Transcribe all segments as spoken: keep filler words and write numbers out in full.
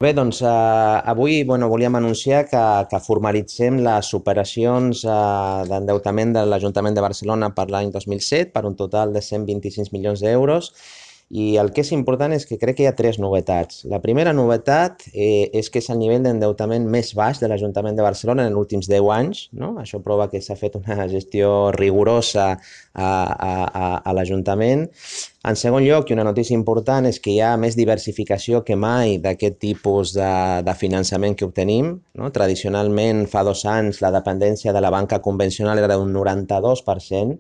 Bé, doncs eh, avui bueno, volíem anunciar que, que formalitzem les operacions eh, d'endeutament de l'Ajuntament de Barcelona per l'any dos mil set per un total de cent vint-i-sis milions d'euros i el que és important és que crec que hi ha tres novetats. La primera novetat eh, és que és el nivell d'endeutament més baix de l'Ajuntament de Barcelona en els últims deu anys. No? Això prova que s'ha fet una gestió rigorosa a, a, a, a l'Ajuntament. En segon lloc, i una notícia important, és que hi ha més diversificació que mai d'aquest tipus de, de finançament que obtenim. No? Tradicionalment, fa dos anys, la dependència de la banca convencional era d'un noranta-dos per cent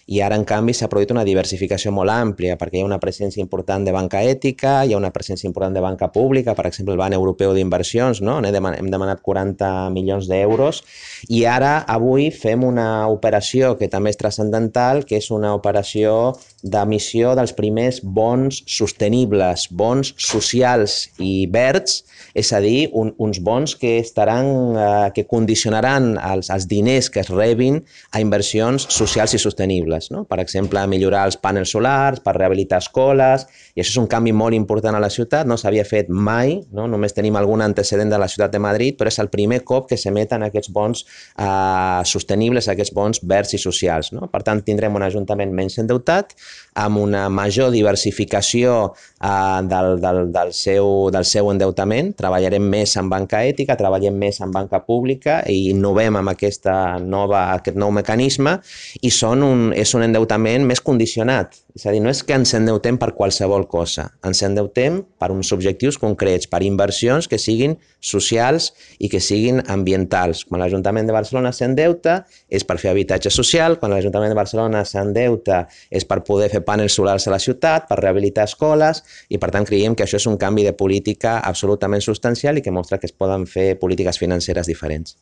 i ara, en canvi, s'ha produït una diversificació molt àmplia perquè hi ha una presència important de banca ètica, hi ha una presència important de banca pública, per exemple, el Banc Europeu d'Inversions, no? Hem demanat quaranta milions d'euros i ara, avui, fem una operació que també és transcendental, que és una operació d'emissió dels primers bons sostenibles, bons socials i verds, és a dir, un, uns bons que estaran, eh, que condicionaran els, els diners que es rebin a inversions socials i sostenibles. No? Per exemple, millorar els panels solars, per rehabilitar escoles, i això és un canvi molt important a la ciutat, no s'havia fet mai, no? Només tenim algun antecedent de la ciutat de Madrid, però és el primer cop que s'emeten aquests bons eh, sostenibles, aquests bons verds i socials. No? Per tant, tindrem un ajuntament menys endeutat, amb una major diversificació eh, del, del, del, seu, del seu endeutament. Treballarem més en banca ètica, treballem més en banca pública i innovem amb aquesta nova, aquest nou mecanisme i són un, és un endeutament més condicionat. És a dir, no és que ens endeutem per qualsevol cosa, ens endeutem per uns objectius concrets, per inversions que siguin socials i que siguin ambientals. Quan l'Ajuntament de Barcelona s'endeuta és per fer habitatge social, quan l'Ajuntament de Barcelona s'endeuta és per poder fer panels solars a la ciutat, per rehabilitar escoles i per tant creiem que això és un canvi de política absolutament substancial i que mostra que es poden fer polítiques financeres diferents.